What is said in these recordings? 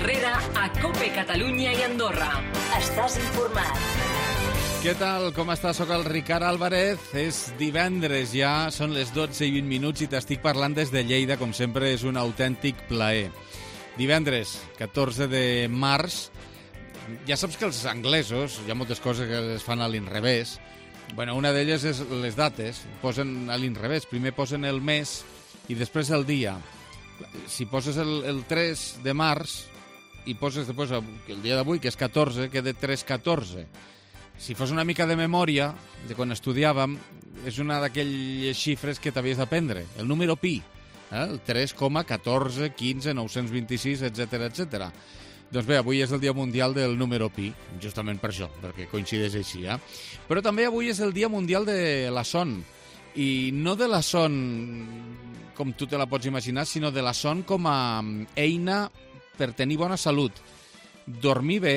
Herrera a COPE Catalunya i Andorra. Estàs informat. Què tal? Com estàs? Soc el Ricard Álvarez. És divendres ja, són les 12 i 20 minuts i t'estic parlant des de Lleida. Com sempre, és un autèntic plaer. Divendres, 14 de març. Ja saps que els anglesos, hi ha moltes coses que les fan a l'inrevés. Bueno, una d'elles és les dates. Posen a l'inrevés. Primer posen el mes i després el dia. Si poses el 3 de març i poses després el dia d'avui, que és 14, queda 3-14. Si fos una mica de memòria, de quan estudiàvem, és una d'aquelles xifres que t'havies d'aprendre, el número pi, el 3,14, 15, 926, etc etc. Doncs bé, avui és el Dia Mundial del número pi, justament per això, perquè coincideix així. Però també avui és el Dia Mundial de la son, i no de la son com tu te la pots imaginar, sinó de la son com a eina per tenir bona salut. Dormir bé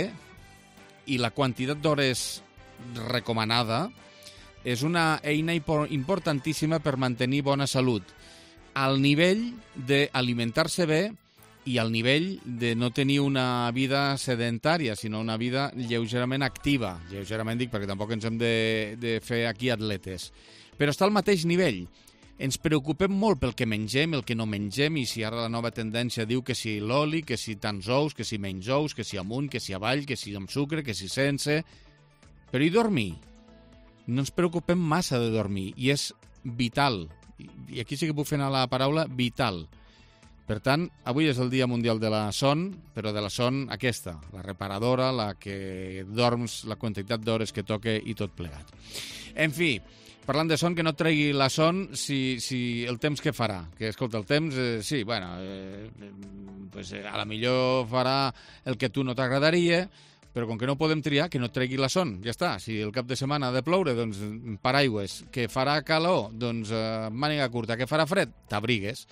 i la quantitat d'hores recomanada és una eina importantíssima per mantenir bona salut, al nivell d'alimentar-se bé i al nivell de no tenir una vida sedentària, sinó una vida lleugerament activa. Lleugerament dic perquè tampoc ens hem de fer aquí atletes. Però està al mateix nivell. Ens preocupem molt pel que mengem, el que no mengem, i si ara la nova tendència diu que si l'oli, que si tants ous, que si menys ous, que si amunt, que si avall, que si amb sucre, que si sense... Però i dormir? No ens preocupem massa de dormir, i és vital. I aquí sí que puc fer anar la paraula vital. Per tant, avui és el Dia Mundial de la Son, però de la son aquesta, la reparadora, la que dorms, la quantitat d'hores que toca i tot plegat. En fi, parlant de son, que no et tregui la son si el temps que farà. Que, escolta, el temps, sí, bueno, pues, a la millor farà el que a tu no t'agradaria, però com que no podem triar, que no et tregui la son. Ja està. Si el cap de setmana ha de ploure, doncs paraigües. Que farà calor, doncs màniga curta. Que farà fred, t'abrigues.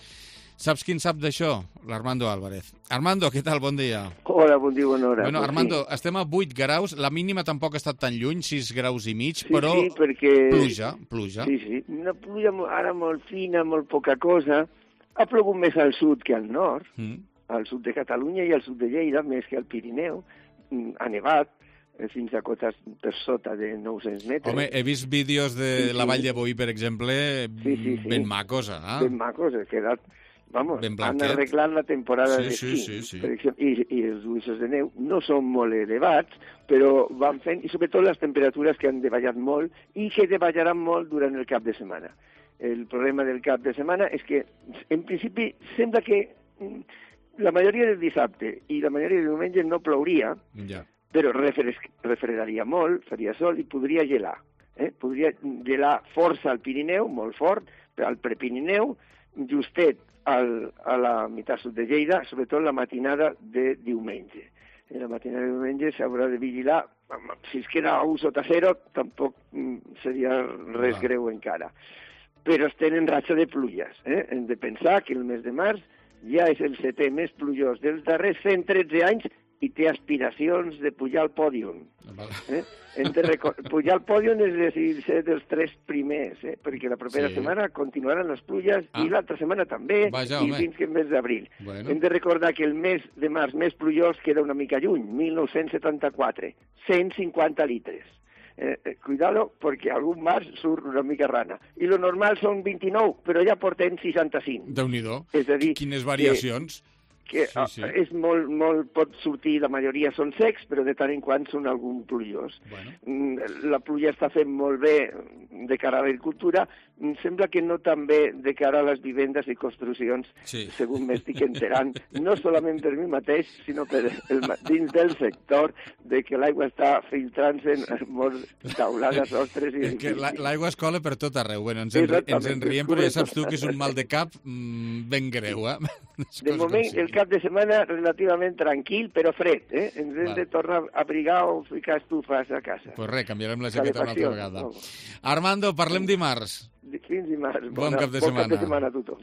Saps qui en sap d'això? L'Armando Álvarez. Armando, què tal? Bon dia. Hola, bon dia, bona hora. Bueno, pues Armando, sí. Estem a 8 graus, la mínima tampoc ha estat tan lluny, 6 graus i mig, però Sí, perquè... pluja. Sí, una pluja ara molt fina, molt poca cosa. Ha plogut més al sud que al nord, al sud de Catalunya i al sud de Lleida, més que al Pirineu. Ha nevat fins a cotes per sota de 900 metres. Home, he vist vídeos de la Vall de Boí, per exemple, ben macos, Ben macos, he quedat... Vamos, ben han blanquet. arreglat la temporada d'esquí. Sí. Per exemple, i els gruixos de neu no són molt elevats, però van fent, i sobretot les temperatures que han davallat molt i que davallaran molt durant el cap de setmana. El problema del cap de setmana és que, en principi, sembla que la majoria del dissabte i la majoria del diumenge no plouria, però refredaria molt, faria sol i podria gelar. Podria gelar força al Pirineu, molt fort, al Prepirineu, justet a la meitat sud de Lleida, sobretot la matinada de diumenge. La matinada de diumenge s'haurà de vigilar, si es queda a 1 sota 0, tampoc seria res greu encara. Però es tenen ratxa de pluges. Hem de pensar que el mes de març ja és el 7è més plujós dels darrers 113 anys i té aspiracions de pujar al pòdium. Pujar al pòdium és dir, ser dels 3 primers, perquè la propera setmana continuaran les pluges i l'altra setmana també, i fins que el mes d'abril. Hem de recordar que el mes de març més plujós queda una mica lluny, 1974, 150 litres. Cuidado, perquè algun març surt una mica rana. I lo normal són 29, però ja portem 65. Déu-n'hi-do. És a dir, quines variacions. Que és molt, pot sortir, la majoria són secs, però de tant en quant són algun plujós. La pluja està fent molt bé de cara a l'agricultura, sembla que no tan bé de cara a les vivendes i construccions, segons m'estic enterant, no solament per mi mateix, sinó per dins del sector, de que l'aigua està filtrant-se en molts taulades, ostres... L'aigua es cola per tot arreu. Ens en riem, però ja saps tu que és un mal de cap ben greu. De moment, el cap de setmana relativament tranquil, però fred. Ens hem de tornar a abrigar o ficar estufes a casa. Pues res, canviarem la jaqueta una altra vegada. Armando, parlem dimarts. Fins dimarts. Bon cap de setmana. Bon cap de setmana a tothom.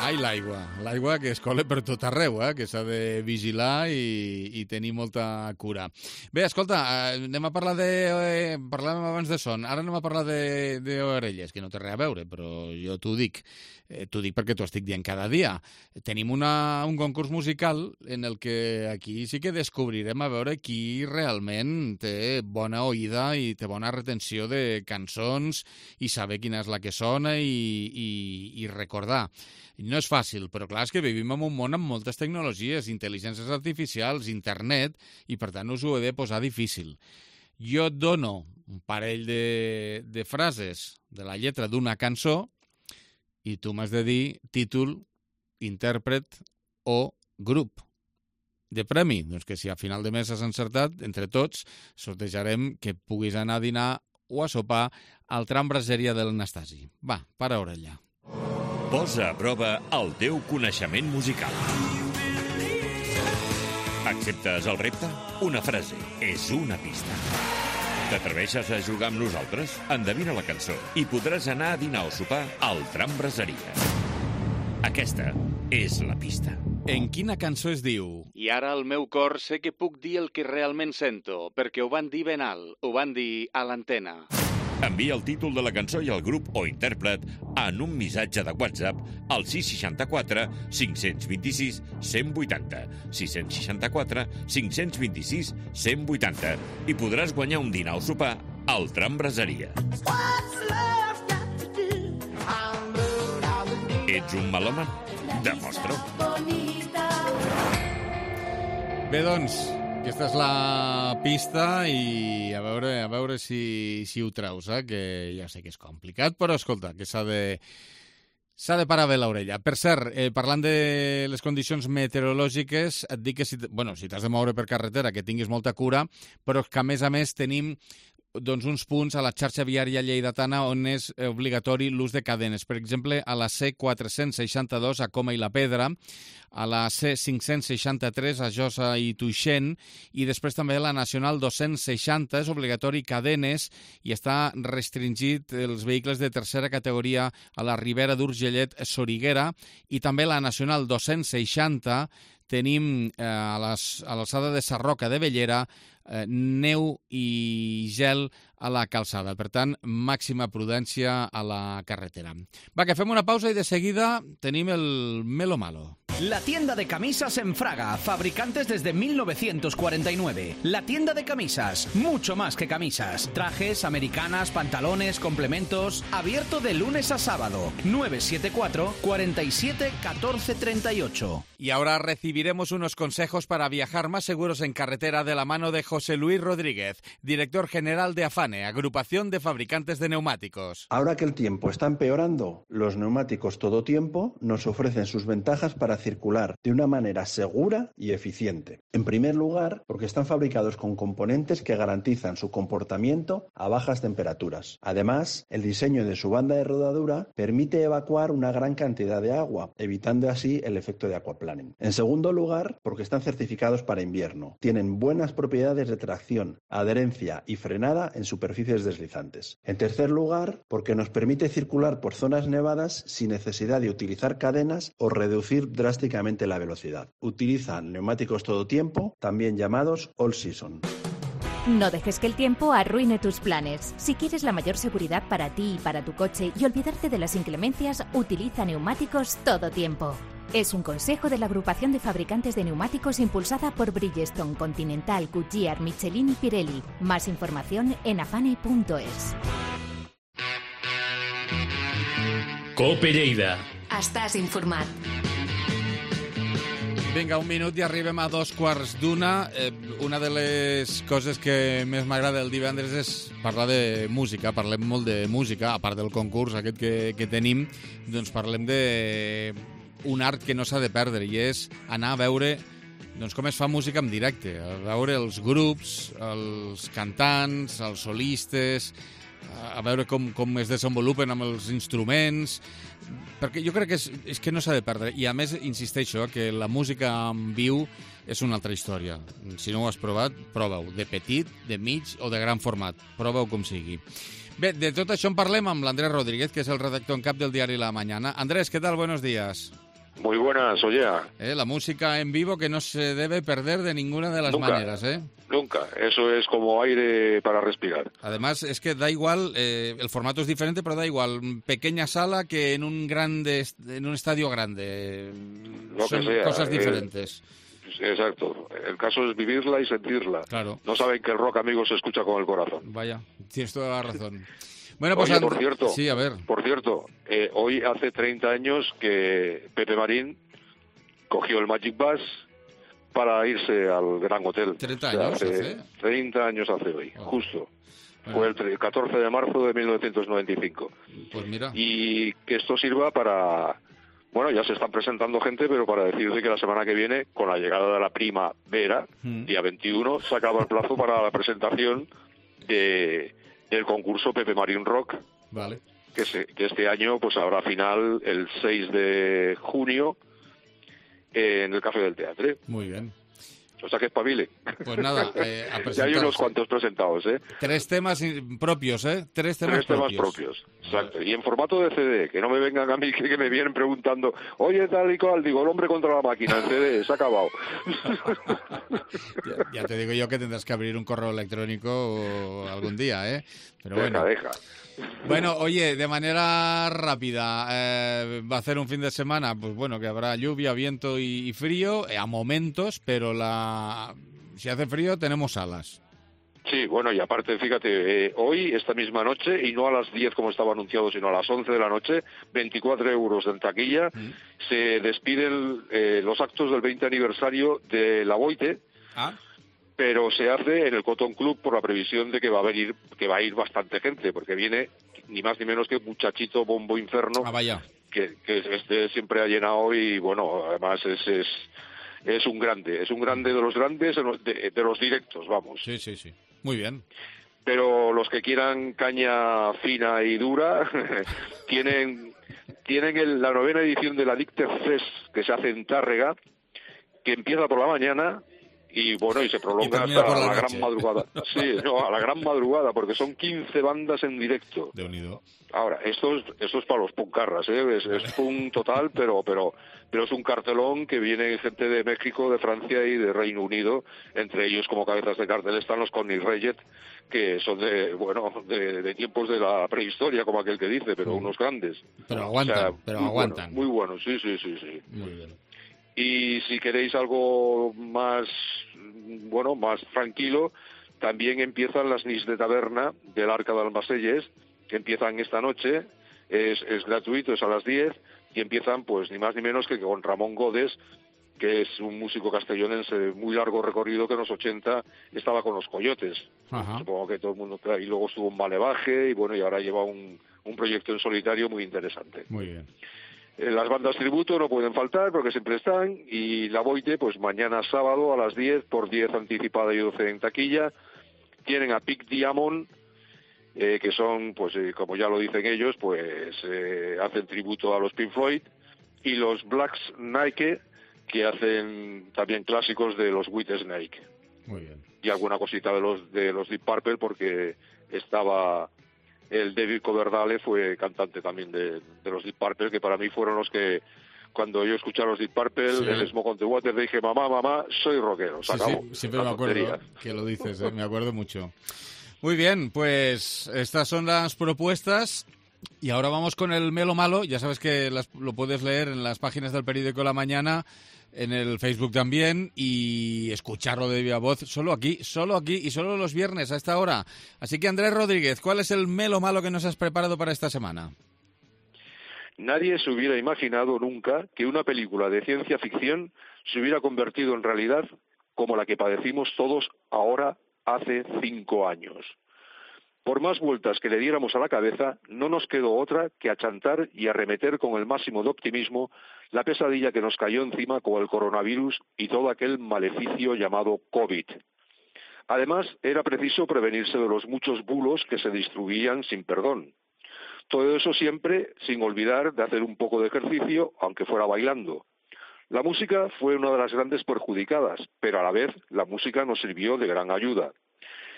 Ai, l'aigua que es cola per tot arreu, que s'ha de vigilar i tenir molta cura. Bé, escolta, anem a parlar parlàvem abans de son, ara anem a parlar d'orelles, que no té res a veure, però jo t'ho dic perquè t'ho estic dient cada dia. Tenim un concurs musical en el que aquí sí que descobrirem a veure qui realment té bona oïda i té bona retenció de cançons i saber quina és la que sona i recordar. No és fàcil, però clar, és que vivim en un món amb moltes tecnologies, intel·ligències artificials, internet, i per tant us ho he de posar difícil. Jo et dono un parell de frases de la lletra d'una cançó i tu m'has de dir títol, intèrpret o grup. De premi, doncs que si a final de mes has encertat, entre tots, sortejarem que puguis anar a dinar o a sopar al tram Braseria del Nastasi. Va, para orella. Posa a prova el teu coneixement musical. Acceptes el repte? Una frase és una pista. T'atreveixes a jugar amb nosaltres? Endevina la cançó i podràs anar a dinar o sopar al tram Braseria. Aquesta és la pista. En quina cançó es diu? I ara al meu cor sé que puc dir el que realment sento, perquè ho van dir ben alt, ho van dir a l'antena. Envia el títol de la cançó i el grup o intèrpret en un missatge de WhatsApp al 664 526 180, 664 526 180 i podràs guanyar un dinar o sopar al tram Braseria. Ets un melòman? Demostra-ho. Bé, doncs, aquesta és la pista i a veure si ho treus, que ja sé que és complicat, però escolta, que s'ha de parar bé l'orella. Per cert, parlant de les condicions meteorològiques, et dic que si t'has de moure per carretera, que tinguis molta cura, però que a més tenim uns punts a la xarxa viària lleidatana on és obligatori l'ús de cadenes. Per exemple, a la C462 a Coma i la Pedra, a la C563 a Josa i Tuixén i després també a la Nacional 260 és obligatori cadenes i està restringit els vehicles de tercera categoria a la Ribera d'Urgellet, Soriguera, i també a la Nacional 260 tenim a l'alçada de Sarroca de Bellera neu i gel a la calçada. Per tant, màxima prudència a la carretera. Va, que fem una pausa i de seguida tenim el Melo Malo. La tienda de camisas en Fraga, fabricantes desde 1949. La tienda de camisas, mucho más que camisas. Trajes, americanas, pantalones, complementos. Abierto de lunes a sábado. 974 47 14 38. Y ahora recibiremos unos consejos para viajar más seguros en carretera de la mano de José Luis Rodríguez, director general de Afane, agrupación de fabricantes de neumáticos. Ahora que el tiempo está empeorando, los neumáticos todo tiempo nos ofrecen sus ventajas para circular de una manera segura y eficiente. En primer lugar, porque están fabricados con componentes que garantizan su comportamiento a bajas temperaturas. Además, el diseño de su banda de rodadura permite evacuar una gran cantidad de agua, evitando así el efecto de aquaplaning. En segundo lugar, porque están certificados para invierno. Tienen buenas propiedades de tracción, adherencia y frenada en superficies deslizantes. En tercer lugar, porque nos permite circular por zonas nevadas sin necesidad de utilizar cadenas o reducir drásticamente la velocidad. Utilizan neumáticos todo tiempo, también llamados all season. No dejes que el tiempo arruine tus planes. Si quieres la mayor seguridad para ti y para tu coche y olvidarte de las inclemencias, utiliza neumáticos todo tiempo. Es un consejo de la agrupación de fabricantes de neumáticos impulsada por Bridgestone, Continental, Goodyear, Michelin y Pirelli. Más información en afane.es. Cope Lleida. Estàs informat. Vinga, un minut i arribem a 2:15. Una de les coses que més m'agrada el divendres és parlar de música. Parlem molt de música, a part del concurs aquest que tenim, doncs parlem d'un art que no s'ha de perdre i és anar a veure com es fa música en directe, a veure els grups, els cantants, els solistes, a veure com es desenvolupen amb els instruments, perquè jo crec que és que no s'ha de perdre. I a més, insisteixo, que la música en viu és una altra història. Si no ho has provat, prova-ho, de petit, de mig o de gran format. Prova-ho com sigui. Bé, de tot això en parlem amb l'Andrés Rodríguez, que és el redactor en cap del diari La Mañana. Andrés, ¿qué tal? Buenos días. Muy buenas, Ollea. La música en vivo que no se debe perder de ninguna de las maneras, ¿eh? Nunca, eso es como aire para respirar. Además, es que da igual, el formato es diferente, pero da igual, pequeña sala que en un estadio grande. Lo Son que sea, cosas diferentes. Exacto, el caso es vivirla y sentirla. Claro. No saben que el rock, amigos, se escucha con el corazón. Vaya, tienes toda la razón. Bueno, pues oye, por cierto, sí, a ver. Por cierto, hoy hace 30 años que Pepe Marín cogió el Magic Bus para irse al Gran Hotel. 30 años hace. 30 años hace hoy, justo. Fue el 14 de marzo de 1995. Pues mira. Y que esto sirva para... Bueno, ya se están presentando gente, pero para decirte que la semana que viene, con la llegada de la primavera, día 21, se acaba el plazo para la presentación del concurso Pepe Marín Rock. Vale. Que este año pues habrá final el 6 de junio en el Café del Teatro. Muy bien. O sea que espabile. Pues nada, a presentarse. Ya hay unos cuantos presentados, ¿eh? 3 temas propios, ¿eh? 3 temas propios, exacto. Y en formato de CD, que no me vengan a mí que me vienen preguntando, oye, tal y cual, digo, el hombre contra la máquina, en CD, se ha acabado. ya te digo yo que tendrás que abrir un correo electrónico algún día, ¿eh? Pero bueno. Deja. Bueno, oye, de manera rápida, va a hacer un fin de semana, pues bueno, que habrá lluvia, viento y frío, a momentos, pero si hace frío tenemos alas. Sí, bueno, y aparte, fíjate, hoy, esta misma noche, y no a las 10 como estaba anunciado, sino a las 11 de la noche, 24 euros en taquilla, se despiden los actos del 20 aniversario de La Boite. Pero se hace en el Cotton Club por la previsión de que va a ir bastante gente, porque viene ni más ni menos que Muchachito Bombo Inferno, que siempre ha llenado y bueno, además es un grande de los grandes, de los directos, vamos. Sí, muy bien. Pero los que quieran caña fina y dura tienen la 9ª edición de la Dicter Fest que se hace en Tárrega, que empieza por la mañana. Y bueno, y se prolonga hasta la gran madrugada. Sí, a la gran madrugada, porque son 15 bandas en directo. De unido. Ahora, esto es para los puncarras, ¿eh? Es punk total, pero es un cartelón que viene gente de México, de Francia y de Reino Unido. Entre ellos, como cabezas de cartel, están los Connie Reyes, que son de tiempos de la prehistoria, como aquel que dice, pero unos grandes. Pero aguantan, aguantan. Muy buenos, sí. Muy bien. Y si queréis algo más tranquilo, también empiezan las Nis de Taberna del Arca de Almacelles, que empiezan esta noche, es gratuito, es a las 10, y empiezan pues ni más ni menos que con Ramón Godes, que es un músico castellonense de muy largo recorrido, que en los 80 estaba con los Coyotes. Supongo que todo el mundo, y luego estuvo en Malevaje, y bueno, y ahora lleva un proyecto en solitario muy interesante. Muy bien. Las bandas tributo no pueden faltar porque siempre están, y La Boite, pues mañana sábado a las 10, por 10 anticipada y 12 en taquilla. Tienen a Pink Diamond, que son, pues como ya lo dicen ellos, pues hacen tributo a los Pink Floyd, y los Black Snake, que hacen también clásicos de los Whitesnake. Muy bien. Y alguna cosita de los Deep Purple, porque estaba... El David Coverdale fue cantante también de los Deep Purple, que para mí fueron los que, cuando yo escuché a los Deep Purple, el Smoke on the Water, dije, mamá, soy rockero. Sí, siempre me acuerdo que lo dices, me acuerdo mucho. Muy bien, pues estas son las propuestas. Y ahora vamos con el Melo Malo. Ya sabes que lo puedes leer en las páginas del periódico La Mañana, en el Facebook también, y escucharlo de viva voz solo aquí y solo los viernes a esta hora. Así que, Andrés Rodríguez, ¿cuál es el Melo Malo que nos has preparado para esta semana? Nadie se hubiera imaginado nunca que una película de ciencia ficción se hubiera convertido en realidad como la que padecimos todos ahora hace 5 años. Por más vueltas que le diéramos a la cabeza, no nos quedó otra que achantar y arremeter con el máximo de optimismo la pesadilla que nos cayó encima con el coronavirus y todo aquel maleficio llamado COVID. Además, era preciso prevenirse de los muchos bulos que se distribuían sin perdón. Todo eso siempre sin olvidar de hacer un poco de ejercicio, aunque fuera bailando. La música fue una de las grandes perjudicadas, pero a la vez la música nos sirvió de gran ayuda.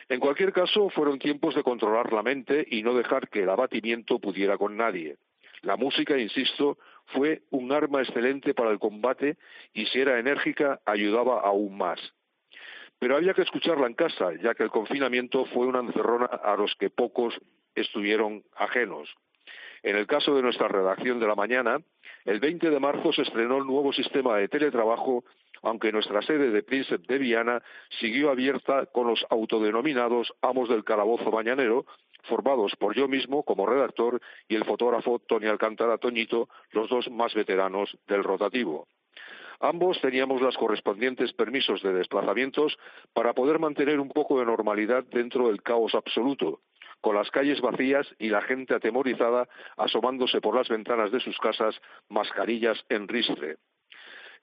En cualquier caso, fueron tiempos de controlar la mente y no dejar que el abatimiento pudiera con nadie. La música, insisto, fue un arma excelente para el combate y si era enérgica ayudaba aún más. Pero había que escucharla en casa, ya que el confinamiento fue una encerrona a los que pocos estuvieron ajenos. En el caso de nuestra redacción de la mañana, el 20 de marzo se estrenó el nuevo sistema de teletrabajo, aunque nuestra sede de Príncipe de Viana siguió abierta con los autodenominados amos del calabozo mañanero, formados por yo mismo como redactor y el fotógrafo Tony Alcántara Toñito, los dos más veteranos del rotativo. Ambos teníamos los correspondientes permisos de desplazamientos para poder mantener un poco de normalidad dentro del caos absoluto, con las calles vacías y la gente atemorizada asomándose por las ventanas de sus casas, mascarillas en ristre.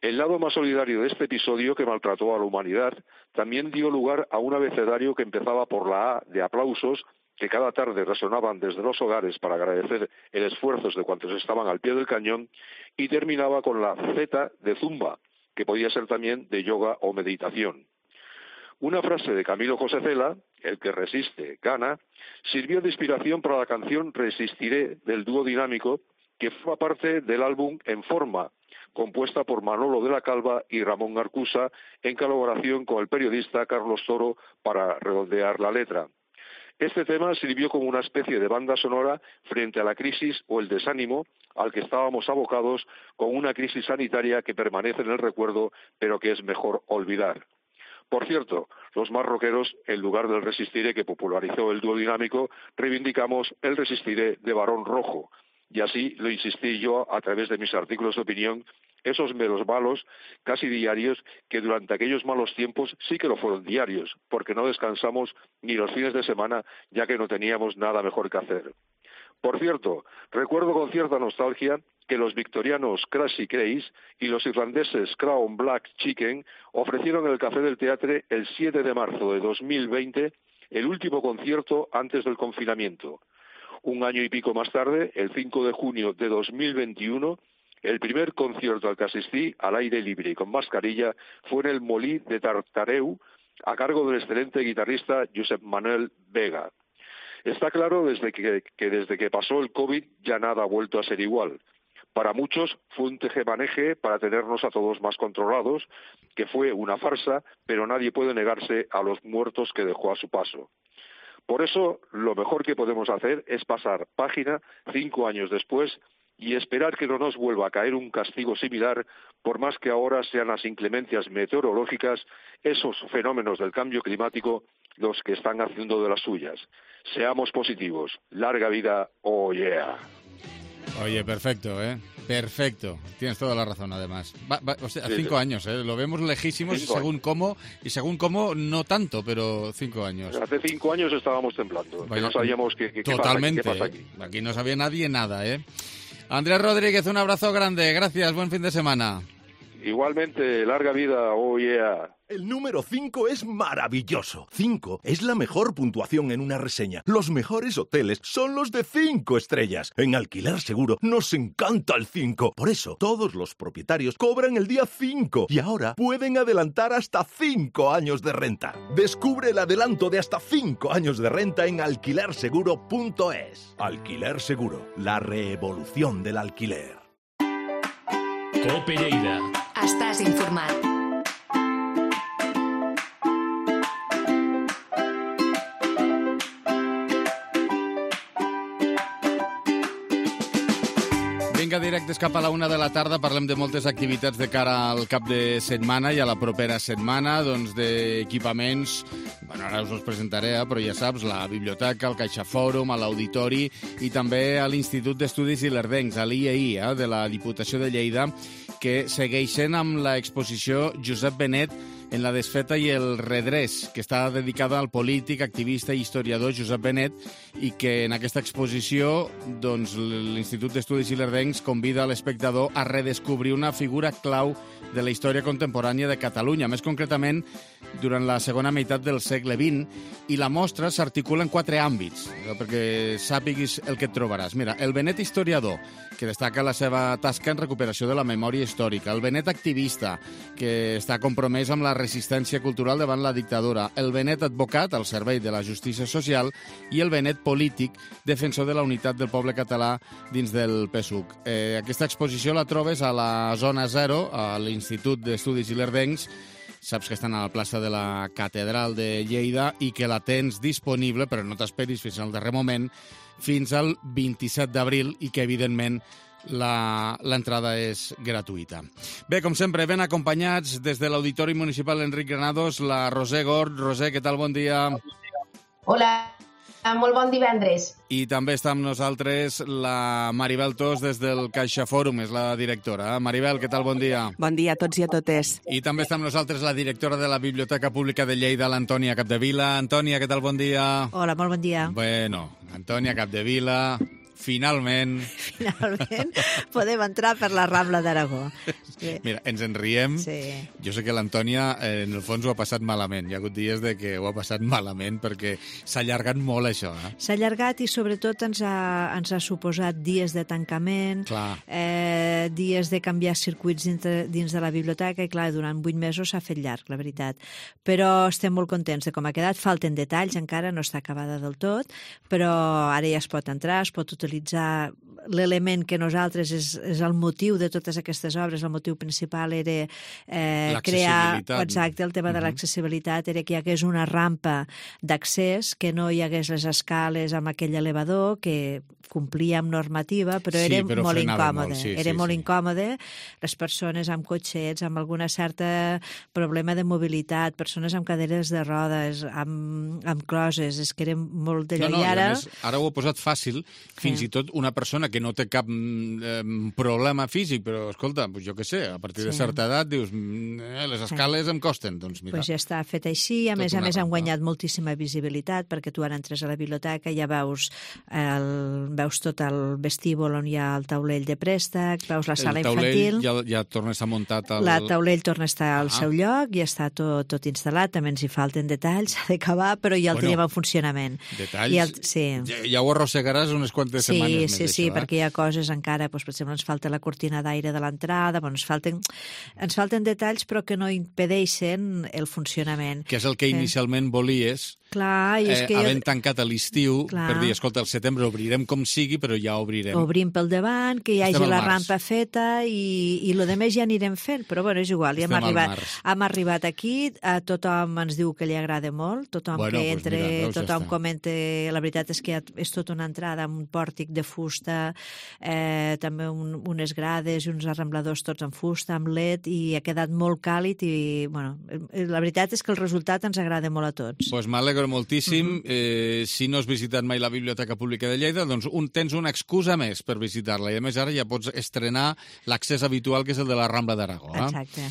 El lado más solidario de este episodio, que maltrató a la humanidad, también dio lugar a un abecedario que empezaba por la A de aplausos, que cada tarde resonaban desde los hogares para agradecer el esfuerzo de cuantos estaban al pie del cañón, y terminaba con la Z de zumba, que podía ser también de yoga o meditación. Una frase de Camilo José Cela, el que resiste, gana, sirvió de inspiración para la canción Resistiré del dúo dinámico, que forma parte del álbum En Forma, compuesta por Manolo de la Calva y Ramón Arcusa, en colaboración con el periodista Carlos Toro para redondear la letra. Este tema sirvió como una especie de banda sonora frente a la crisis o el desánimo al que estábamos abocados, con una crisis sanitaria que permanece en el recuerdo, pero que es mejor olvidar. Por cierto, los más rockeros, en lugar del Resistiré que popularizó el dúo dinámico, reivindicamos el Resistiré de Barón Rojo, y así lo insistí yo a través de mis artículos de opinión, esos meros malos, casi diarios, que durante aquellos malos tiempos sí que lo fueron diarios, porque no descansamos ni los fines de semana, ya que no teníamos nada mejor que hacer. Por cierto, recuerdo con cierta nostalgia que los victorianos Crazy Craze y los irlandeses Crown Black Chicken ofrecieron en el Café del Teatre el 7 de marzo de 2020 el último concierto antes del confinamiento. Un año y pico más tarde, el 5 de junio de 2021, el primer concierto al que asistí, al aire libre y con mascarilla, fue en el Molí de Tartareu, a cargo del excelente guitarrista Josep Manuel Vega. Está claro desde que pasó el COVID ya nada ha vuelto a ser igual. Para muchos fue un tejemaneje para tenernos a todos más controlados, que fue una farsa, pero nadie puede negarse a los muertos que dejó a su paso. Por eso, lo mejor que podemos hacer es pasar página 5 años después y esperar que no nos vuelva a caer un castigo similar, por más que ahora sean las inclemencias meteorológicas, esos fenómenos del cambio climático, los que están haciendo de las suyas. Seamos positivos. Larga vida, oh yeah. Oye, perfecto, ¿eh? Perfecto. Tienes toda la razón, además. O sea, 5 sí. Años, ¿eh? Lo vemos lejísimos según cómo no tanto, pero 5 años. Hace 5 años estábamos temblando. Vaya, que no sabíamos qué totalmente, pasa aquí. Aquí no sabía nadie nada, ¿eh? Andrés Rodríguez, un abrazo grande. Gracias, buen fin de semana. Igualmente, larga vida, oh yeah. El número 5 es maravilloso. 5 es la mejor puntuación en una reseña. Los mejores hoteles son los de 5 estrellas. En Alquiler Seguro nos encanta el 5. Por eso, todos los propietarios cobran el día 5 y ahora pueden adelantar hasta 5 años de renta. Descubre el adelanto de hasta 5 años de renta en alquilerseguro.es. Alquiler Seguro, la revolución del alquiler. Cope Lleida. Estàs informat. Vinga, directes cap a la 1 de la tarda. Parlem de moltes activitats de cara al cap de setmana i a la propera setmana, doncs d'equipaments. Bueno, ara us els presentaré, però ja saps, la biblioteca, el CaixaFòrum, a l'Auditori i també a l'Institut d'Estudis Ilerdencs, a l'IEI, de la Diputació de Lleida, que segueixen amb l'exposició Josep Benet en la desfeta i el redrés, que està dedicada al polític, activista i historiador Josep Benet, i que en aquesta exposició doncs, l'Institut d'Estudis Ilerdencs convida a l'espectador a redescobrir una figura clau de la història contemporània de Catalunya, més concretament durant la segona meitat del segle XX, i la mostra s'articula en 4 àmbits, perquè sàpiguis el que et trobaràs. Mira, el Benet historiador, que destaca la seva tasca en recuperació de la memòria històrica, el Benet activista, que està compromès amb la resistència cultural davant la dictadura, el Benet advocat al servei de la justícia social i el Benet polític, defensor de la unitat del poble català dins del PSUC. Aquesta exposició la trobes a la Zona Zero, a l'Institut d'Estudis Ilerdencs. Saps que estan a la plaça de la Catedral de Lleida i que la tens disponible, però no t'esperis fins al darrer moment, fins al 27 d'abril i que, evidentment, l'entrada és gratuïta. Bé, com sempre, ben acompanyats des de l'Auditori Municipal Enric Granados, la Roser Gord. Roser, què tal? Bon dia. Hola, molt bon divendres. I també està amb nosaltres la Maribel Tos des del Caixa Fòrum, és la directora. Maribel, què tal? Bon dia. Bon dia a tots i a totes. I també està amb nosaltres la directora de la Biblioteca Pública de Lleida, l'Antònia Capdevila. Antònia, què tal? Bon dia. Hola, molt bon dia. Bueno, Antònia Capdevila... Finalment podem entrar per la Rambla d'Aragó. Mira, ens en riem. Sí. Jo sé que l'Antònia, en el fons, ho ha passat malament. Hi ha hagut dies de que ho ha passat malament perquè s'ha allargat molt això. S'ha allargat i sobretot ens ha suposat dies de tancament, dies de canviar circuits dins de la biblioteca i, clar, durant 8 mesos s'ha fet llarg, la veritat. Però estem molt contents de com ha quedat. Falten detalls, encara no està acabada del tot, però ara ja es pot entrar, es pot utilitzar l'element que nosaltres és el motiu de totes aquestes obres. El motiu principal era crear... Exacte, el tema de l'accessibilitat era que hi hagués una rampa d'accés, que no hi hagués les escales amb aquell elevador, que complia amb normativa, però era molt incòmode. Era molt incòmode. Les persones amb cotxets, amb alguna certa problema de mobilitat, persones amb caderes de rodes, amb closes, és que era molt d'allò. No, ara ho he posat fàcil, fins i tot una persona que no té cap problema físic, però, escolta, jo què sé, a partir de certa edat dius, les escales em costen, doncs mira. Doncs ja està fet així, a més han guanyat moltíssima visibilitat, perquè tu ara entres a la biblioteca i ja veus tot el vestíbul on hi ha el taulell de préstec, veus la sala infantil... El taulell ja torna a estar muntat... El taulell torna a estar al seu lloc i està tot instal·lat, també ens hi falten detalls, s'ha d'acabar, però ja el tenim en funcionament. Detalls? Ja ho arrossegaràs unes quantes setmanes més. Sí, perquè hi ha coses encara, per exemple, ens falta la cortina d'aire de l'entrada, ens falten detalls però que no impedeixen el funcionament. Que és el que inicialment volies, havent tancat a l'estiu, per dir, escolta, al setembre obrirem com sigui, però ja obrirem. Obrim pel davant, que hi hagi la rampa feta i el que més ja anirem fent, però bueno, és igual, ja hem arribat aquí, tothom ens diu que li agrada molt, tothom que entra, tothom comenta, la veritat és que és tota una entrada amb un pòrtic de fusta, també unes grades i uns arrambladors tots en fusta, amb LED, i ha quedat molt càlid i, bueno, la veritat és que el resultat ens agrada molt a tots. Doncs m'alegro moltíssim. Si no has visitat mai la Biblioteca Pública de Lleida, doncs tens una excusa més per visitar-la, i a més ara ja pots estrenar l'accés habitual, que és el de la Rambla d'Aragó. Exacte.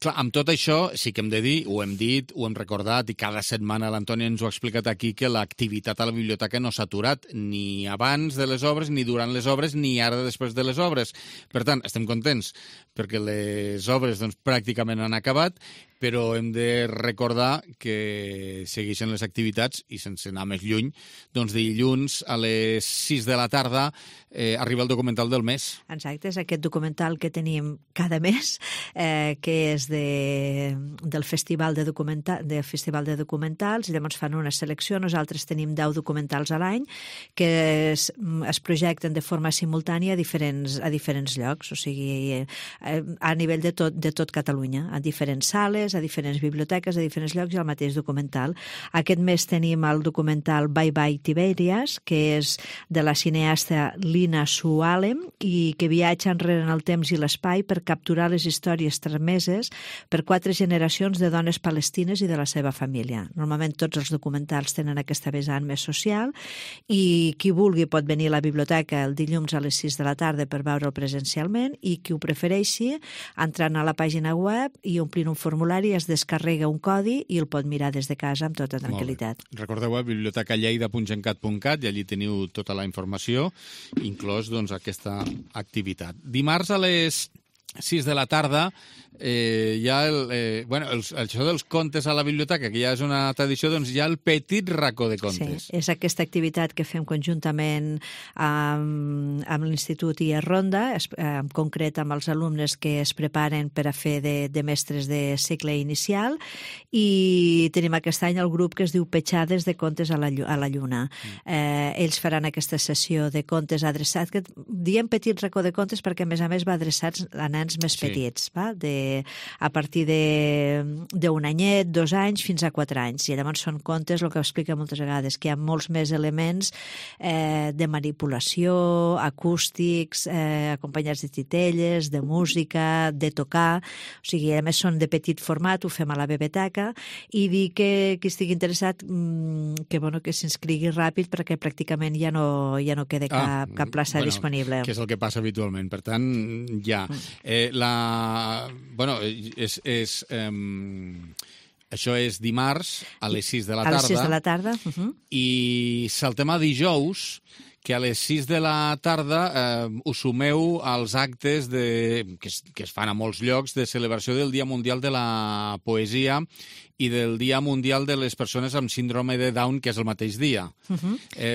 Clar, amb tot això sí que hem de dir, ho hem dit, ho hem recordat, i cada setmana l'Antònia ens ho ha explicat aquí, que l'activitat a la biblioteca no s'ha aturat ni abans de les obres, ni durant les obres, ni ara després de les obres. Per tant, estem contents perquè les obres pràcticament han acabat, però hem de recordar que segueixen les activitats i sense anar més lluny, doncs dilluns a les 6 de la tarda arriba el documental del mes. Exacte, és aquest documental que tenim cada mes, que és del Festival de Documentals, i llavors fan una selecció. Nosaltres tenim 10 documentals a l'any que es projecten de forma simultània a diferents llocs, o sigui, a nivell de tot Catalunya, a diferents sales, a diferents biblioteques, a diferents llocs, i el mateix documental. Aquest mes tenim el documental Bye Bye Tiberias, que és de la cineasta Lina Sualem, i que viatja enrere en el temps i l'espai per capturar les històries transmeses per 4 generacions de dones palestines i de la seva família. Normalment tots els documentals tenen aquesta vessant més social, i qui vulgui pot venir a la biblioteca el dilluns a les 6 de la tarda per veure'l presencialment, i qui ho prefereixi, entrant a la pàgina web i omplint un formulari, es descarrega un codi i el pot mirar des de casa amb tota tranquil·litat. Recordeu bibliotecalleida.gencat.cat, i allí teniu tota la informació, inclòs aquesta activitat. Dimarts a les 6 de la tarda, hi ha això dels contes a la biblioteca, que ja és una tradició, doncs hi ha el petit racó de contes. Sí, és aquesta activitat que fem conjuntament amb l'Institut i a Ronda, en concret amb els alumnes que es preparen per a fer de mestres de cicle inicial, i tenim aquest any el grup que es diu Petjades de contes a la lluna. Ells faran aquesta sessió de contes adreçats, que diem petit racó de contes perquè a més va adreçats a nens més petits, va? A partir d'un anyet, 2 anys, fins a 4 anys. I llavors són contes, el que explica moltes vegades, que hi ha molts més elements de manipulació, acústics, acompanyats de titelles, de música, de tocar. O sigui, a més són de petit format, ho fem a la biblioteca, i dir que qui estigui interessat que s'inscrigui ràpid perquè pràcticament ja no queda cap plaça disponible. Que és el que passa habitualment. Per tant, ja. Això és dimarts a les 6 de la tarda. A les 6 de la tarda. I saltem a dijous, que a les 6 de la tarda us sumeu als actes que es fan a molts llocs de celebració del Dia Mundial de la Poesia i del Dia Mundial de les Persones amb Síndrome de Down, que és el mateix dia.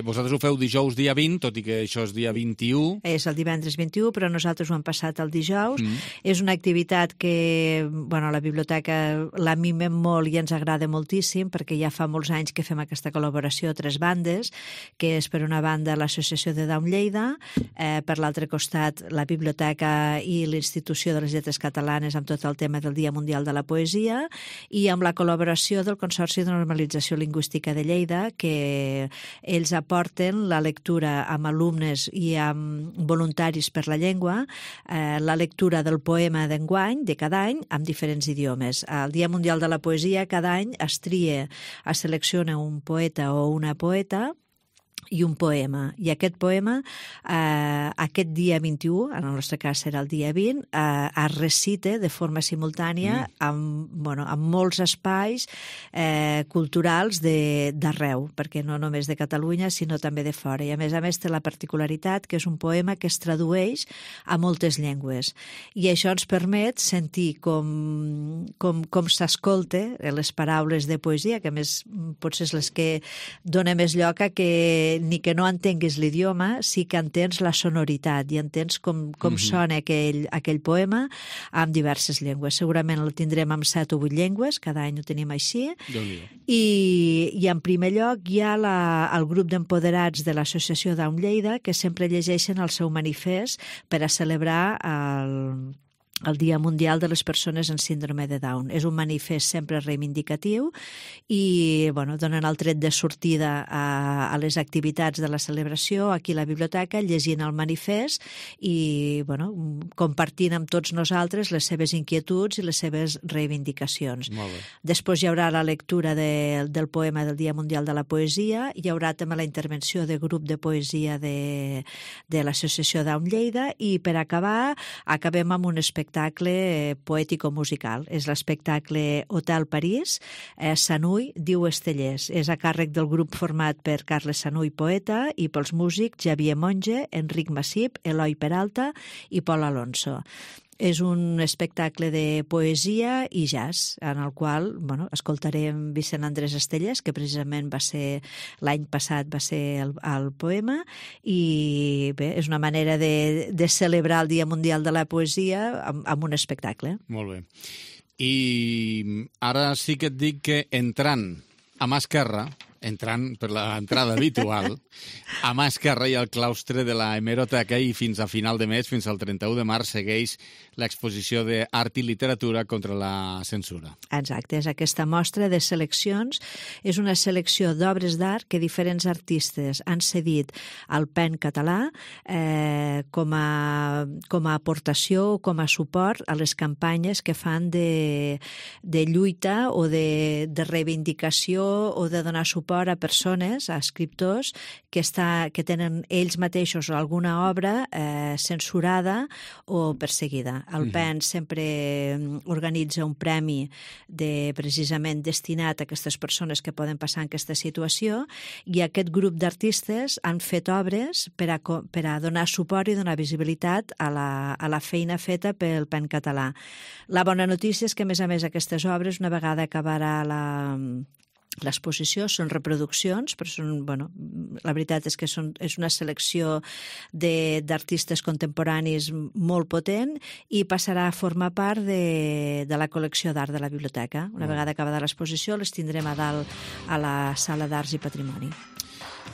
Vosaltres ho feu dijous dia 20, tot i que això és dia 21. És el divendres 21, però nosaltres ho hem passat el dijous. És una activitat que a la biblioteca la mimem molt i ens agrada moltíssim, perquè ja fa molts anys que fem aquesta col·laboració a 3 bandes, que és per una banda l'Associació de Down Lleida, per l'altre costat la biblioteca i l'Institució de les Lletres Catalanes amb tot el tema del Dia Mundial de la Poesia, i amb la col·laboració del Consorci de Normalització Lingüística de Lleida, que ells aporten la lectura amb alumnes i amb voluntaris per la llengua, la lectura del poema d'enguany, de cada any, amb diferents idiomes. Al Dia Mundial de la Poesia, cada any es selecciona un poeta o una poeta i un poema. I aquest poema, aquest dia 21, en el nostre cas serà el dia 20, es recita de forma simultània amb molts espais culturals d'arreu, perquè no només de Catalunya, sinó també de fora. I a més té la particularitat que és un poema que es tradueix a moltes llengües. I això ens permet sentir com s'escolta les paraules de poesia, que a més potser és les que dona més lloc a que ni que no entenguis l'idioma, sí que entens la sonoritat i entens com sona aquell poema en diverses llengües. Segurament el tindrem en 7 o 8 llengües, cada any ho tenim així. I en primer lloc hi ha el grup d'empoderats de l'Associació Down Lleida, que sempre llegeixen el seu manifest per a celebrar el Dia Mundial de les Persones amb Síndrome de Down. És un manifest sempre reivindicatiu i donen el tret de sortida a les activitats de la celebració aquí a la biblioteca, llegint el manifest i compartint amb tots nosaltres les seves inquietuds i les seves reivindicacions. Després hi haurà la lectura del poema del Dia Mundial de la Poesia, hi haurà també la intervenció de grup de poesia de l'Associació Down Lleida i per acabar acabem amb un espectacle poètico-musical. És l'espectacle Hotel París, Sanuy diu Estellers. És a càrrec del grup format per Carles Sanuy, poeta, i pels músics Xavier Monge, Enric Massip, Eloi Peralta i Pol Alonso. És un espectacle de poesia i jazz, en el qual escoltarem Vicent Andrés Estellers, que precisament l'any passat va ser el poema, i bé, és una manera de celebrar el Dia Mundial de la Poesia amb un espectacle. Molt bé. I ara sí que et dic que entrant a mà esquerra, entrant per l'entrada habitual, a mà esquerra hi ha el claustre de la hemeroteca i fins a final de mes, fins al 31 de març, segueix l'exposició d'Art i Literatura contra la censura. Exacte, és aquesta mostra de seleccions. És una selecció d'obres d'art que diferents artistes han cedit al PEN català com a aportació o com a suport a les campanyes que fan de lluita o de reivindicació o de donar suport suport a persones, a escriptors, que tenen ells mateixos alguna obra censurada o perseguida. El PEN sempre organitza un premi precisament destinat a aquestes persones que poden passar en aquesta situació, i aquest grup d'artistes han fet obres per a donar suport i donar visibilitat a la feina feta pel PEN català. La bona notícia és que, a més, aquestes obres, una vegada acabarà l'exposició, són reproduccions, però la veritat és que és una selecció d'artistes contemporanis molt potent i passarà a formar part de la col·lecció d'art de la biblioteca. Una vegada acabada l'exposició les tindrem a dalt a la Sala d'Arts i Patrimoni.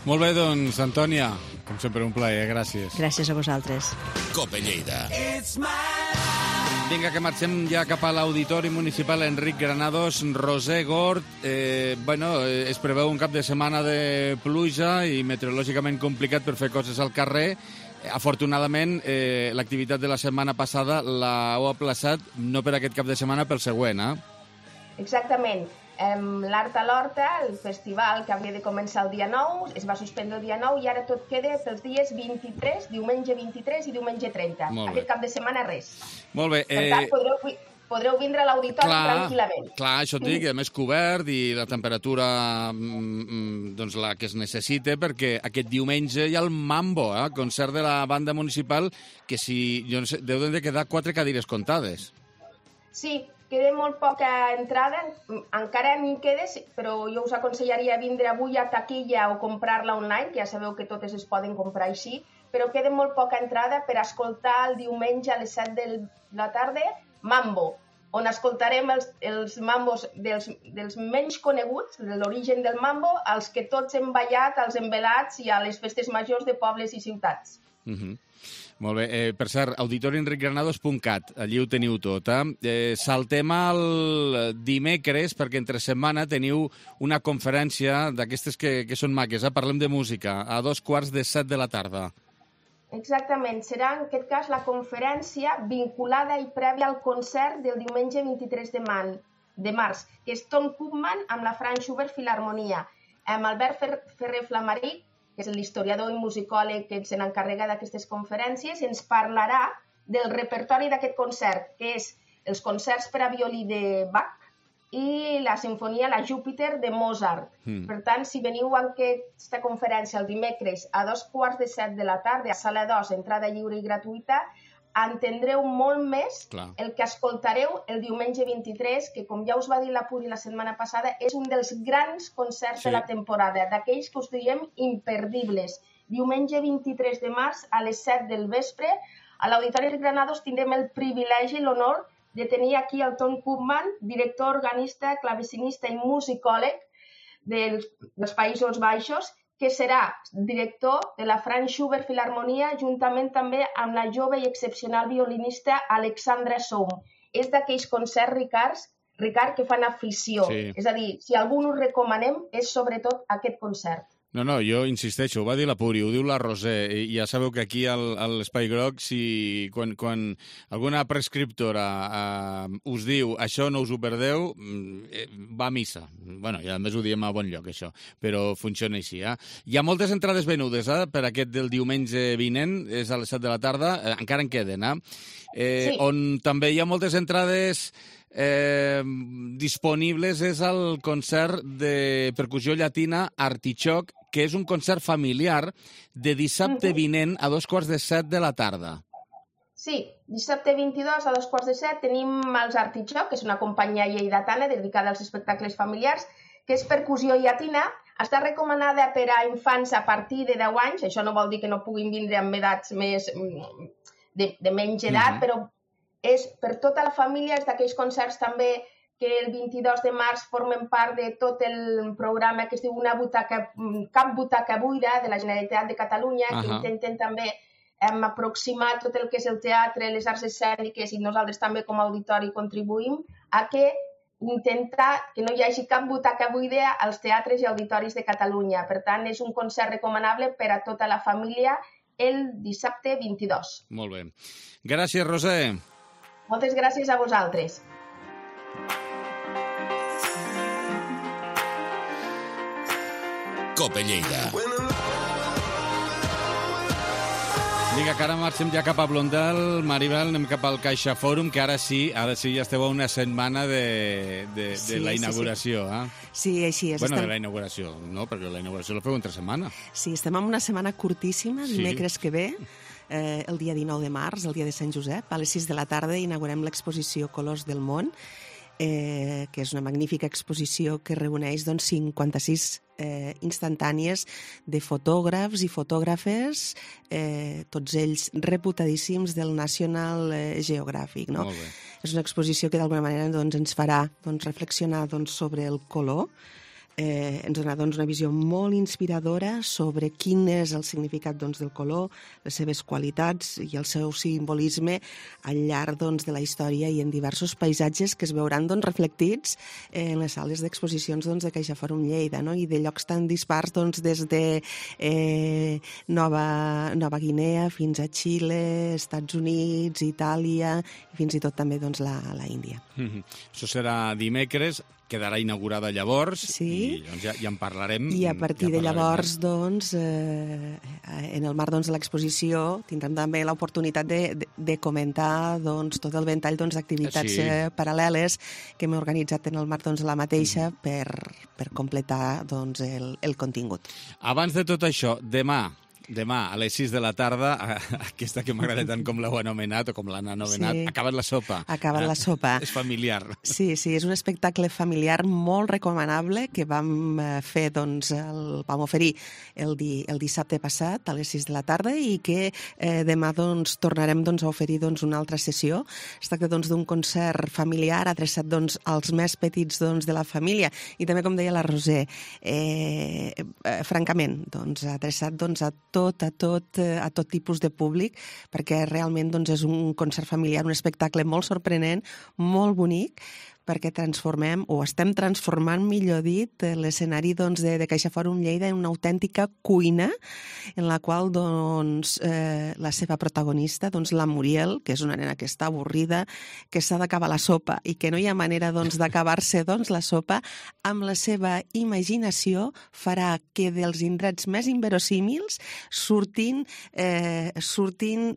Molt bé, doncs, Antònia, com sempre un plaer, gràcies. Gràcies a vosaltres. Cope Lleida. Vinga, que marxem ja cap a l'Auditori Municipal Enric Granados. Roser Gort, es preveu un cap de setmana de pluja i meteorològicament complicat per fer coses al carrer. Afortunadament, l'activitat de la setmana passada l'heu aplaçat no per aquest cap de setmana, pel següent, Exactament. L'Art a l'Horta, el festival que havia de començar el dia 9, es va suspendre el dia 9 i ara tot queda pels dies 23, diumenge 23 i diumenge 30. Aquest cap de setmana res. Molt bé. Per tant, podreu vindre a l'auditori tranquil·lament. Clar, això et dic, a més cobert i la temperatura doncs la que es necessita, perquè aquest diumenge hi ha el Mambo, concert de la banda municipal, que jo no sé, deuen de quedar 4 cadires comptades. Sí, queda molt poca entrada, encara n'hi queda, però jo us aconsellaria vindre avui a taquilla o comprar-la online, que ja sabeu que totes es poden comprar així, però queda molt poca entrada per escoltar el diumenge a les 7 de la tarda Mambo, on escoltarem els mambos dels menys coneguts, de l'origen del mambo, als que tots hem ballat, als envelats i a les festes majors de pobles i ciutats. Molt bé. Per cert, auditorienricgranados.cat, allí ho teniu tot. Saltem al dimecres, perquè entre setmana teniu una conferència d'aquestes que són maques. Parlem de música, a 2:15 de la tarda. Exactament. Serà, en aquest cas, la conferència vinculada i prèvia al concert del diumenge 23 de març, que és Tom Koopman amb la Franz Schubert Filharmonia. Amb Albert Ferrer Flamaric, que és l'historiador i musicòleg que se n'encarrega d'aquestes conferències, ens parlarà del repertori d'aquest concert, que és els concerts per a violí de Bach i la sinfonia La Júpiter de Mozart. Per tant, si veniu a aquesta conferència el dimecres a 2:15 de la tarda a Sala 2, entrada lliure i gratuïta, entendreu molt més el que escoltareu el diumenge 23, que, com ja us va dir la Puri la setmana passada, és un dels grans concerts de la temporada, d'aquells que us diem imperdibles. Diumenge 23 de març a les 7 del vespre, a l'Auditori de Granados tindrem el privilegi i l'honor de tenir aquí el Tom Koopman, director, organista, clavecinista i musicòleg dels Països Baixos, que serà director de la Franz Schubert Filharmonia, juntament també amb la jove i excepcional violinista Alexandra Soum. És d'aquells concerts, Ricard, que fan afició. És a dir, si algú us recomanem, és sobretot aquest concert. No, jo insisteixo, ho va dir la Puri, ho diu la Roser, i ja sabeu que aquí a l'Espai Groc, quan alguna prescriptora us diu això no us ho perdeu, va a missa. I a més ho diem a bon lloc, això, però funciona així. Hi ha moltes entrades venudes per aquest del diumenge vinent, és a les 7 de la tarda, encara en queden, on també hi ha moltes entrades disponibles, és el concert de percussió llatina Artichoc, que és un concert familiar de dissabte vinent a 2:15 de la tarda. Sí, dissabte 22 a 2:15 tenim els Artichoc, que és una companyia lleidatana dedicada als espectacles familiars, que és percussió llatina, està recomanada per a infants a partir de 10 anys, això no vol dir que no puguin vindre amb edats més de menys edat, però és per tota la família, és d'aquells concerts també que el 22 de març formen part de tot el programa que es diu Cap Butaca Buida de la Generalitat de Catalunya, que intenten també aproximar tot el que és el teatre, les arts escèniques, i nosaltres també com a auditori contribuïm a intentar que no hi hagi cap butaca buida als teatres i auditoris de Catalunya. Per tant, és un concert recomanable per a tota la família el dissabte 22. Molt bé. Gràcies, Roser. Moltes gràcies a vosaltres. COPE Lleida. Vinga, que ara marxem ja cap a Blondel. Maribel, anem cap al Caixa Fòrum, que ara sí ja esteu a una setmana de la inauguració. Sí, així és. Bueno, de la inauguració, no, perquè la inauguració la feu entre setmana. Sí, estem en una setmana curtíssima, dimecres que ve, el dia 19 de març, el dia de Sant Josep, a les 6 de la tarda inaugurem l'exposició Colors del Món, que és una magnífica exposició que reuneix 56 instantànies de fotògrafs i fotògrafes, tots ells reputadíssims del National Geographic. No? És una exposició que d'alguna manera ens farà reflexionar sobre el color, ens donarà una visió molt inspiradora sobre quin és el significat del color, les seves qualitats i el seu simbolisme al llarg de la història i en diversos paisatges que es veuran reflectits en les sales d'exposicions de Caixa Fòrum Lleida, no? I de llocs tan dispars des de Nova Guinea fins a Xile, Estats Units, Itàlia i fins i tot també la Índia. Això serà dimecres, quedarà inaugurada llavors, i ja en parlarem. I a partir de llavors, en el marc de l'exposició, tindrem també l'oportunitat de comentar tot el ventall d'activitats paral·leles que hem organitzat en el marc de la mateixa per completar el contingut. Abans de tot això, demà a les 6 de la tarda, aquesta que m'agrada tant com l'heu anomenat o com l'han anomenat, Acaba't la sopa. Acaba't la sopa. És familiar. Sí, és un espectacle familiar molt recomanable que vam fer, vam oferir el dissabte passat a les 6 de la tarda i que demà tornarem a oferir una altra sessió. Es tracta d'un concert familiar adreçat als més petits de la família i també, com deia la Roser, francament, adreçat a tot tipus de públic, perquè realment és un concert familiar, un espectacle molt sorprenent, molt bonic, perquè transformem, o estem transformant, millor dit, l'escenari de Caixa Fòrum Lleida en una autèntica cuina en la qual la seva protagonista, la Muriel, que és una nena que està avorrida, que s'ha d'acabar la sopa i que no hi ha manera d'acabar-se la sopa, amb la seva imaginació farà que dels indrets més inverosímils surtin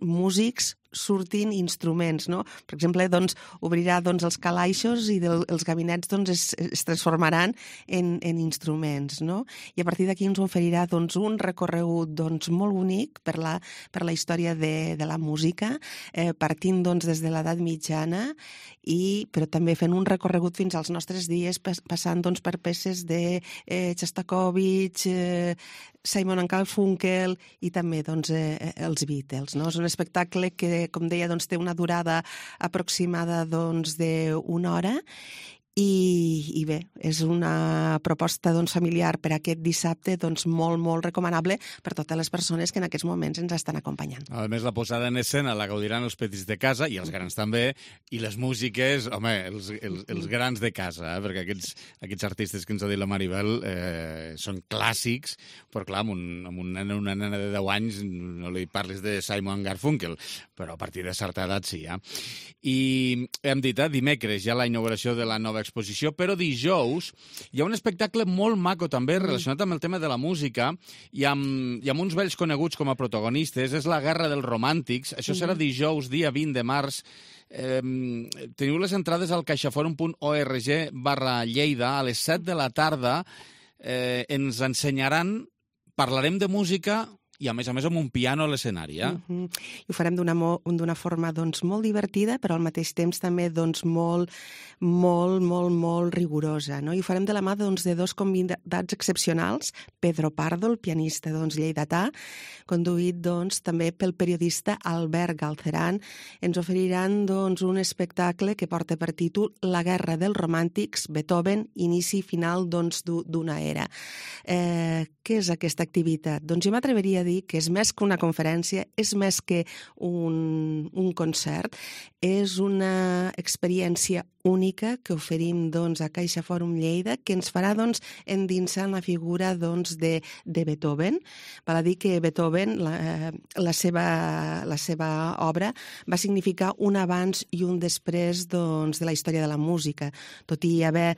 músics, surtin instruments, no? Per exemple, obrirà els calaixos i els gabinets es transformaran en instruments, no? I a partir d'aquí ens oferirà un recorregut molt bonic per la història de la música, partint des de l'edat mitjana, però també fent un recorregut fins als nostres dies, passant per peces de Shostakovich, Simon & Garfunkel i també els Beatles, no? És un espectacle que, com deia, té una durada aproximada d'una hora i bé, és una proposta familiar per aquest dissabte molt, molt recomanable per totes les persones que en aquests moments ens estan acompanyant. A més, la posada en escena la gaudiran els petits de casa i els grans també, i les músiques, home, els grans de casa, perquè aquests artistes que ens ha dit la Maribel són clàssics, però clar, amb una nena de 10 anys no li parlis de Simon & Garfunkel, però a partir de certa edat sí, I hem dit, dimecres ja la inauguració de la nova exposició, però dijous hi ha un espectacle molt maco també relacionat amb el tema de la música i amb uns vells coneguts com a protagonistes. És la Guerra dels Romàntics. Això serà dijous, dia 20 de març. Teniu les entrades al caixaforum.org/Lleida a les 7 de la tarda. Ens ensenyaran, parlarem de música i, a més, amb un piano a l'escenari. I ho farem d'una forma molt divertida, però al mateix temps també molt rigorosa. I ho farem de la mà de dos convidats excepcionals, Pedro Pardo, el pianista lleidatà, conduït també pel periodista Albert Galceran. Ens oferiran un espectacle que porta per títol La Guerra dels Romàntics, Beethoven, inici i final d'una era. Què és aquesta activitat? Jo m'atreveria a dir que és més que una conferència, és més que un concert, és una experiència única que oferim a Caixa Fòrum Lleida, que ens farà endinsar en la figura de Beethoven. Val a dir que Beethoven, la seva obra, va significar un abans i un després de la història de la música. Tot i haver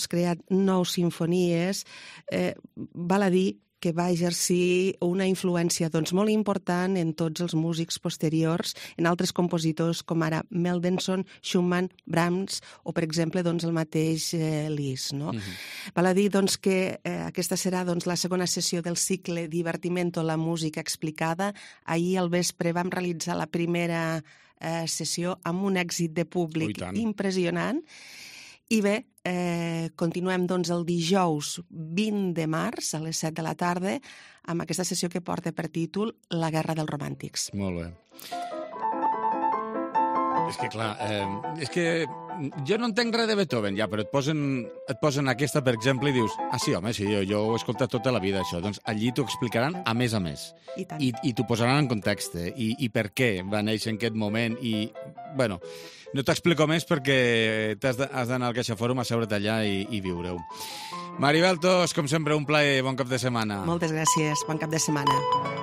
creat 9 simfonies, val a dir que va exercir una influència doncs, molt important en tots els músics posteriors, en altres compositors com ara Mendelssohn, Schumann, Brahms o, per exemple, doncs, el mateix Liszt. No? Val a dir doncs, que aquesta serà doncs, la segona sessió del cicle Divertimento, la música explicada. Ahir al vespre vam realitzar la primera sessió amb un èxit de públic impressionant. I bé, continuem doncs, el dijous 20 de març a les 7 de la tarda amb aquesta sessió que porta per títol La guerra dels romàntics. Molt bé. És que, clar, és que jo no entenc res de Beethoven, ja, però et posen aquesta, per exemple, i dius, sí, home, sí, jo ho he escoltat tota la vida, això. Doncs allí t'ho explicaran a més. I t'ho posaran en context, i per què va néixer en aquest moment, i, bueno, no t'explico més perquè has d'anar al CaixaForum a seure't allà i viure-ho. Maribel Tos, com sempre, un plaer, bon cap de setmana. Moltes gràcies, bon cap de setmana.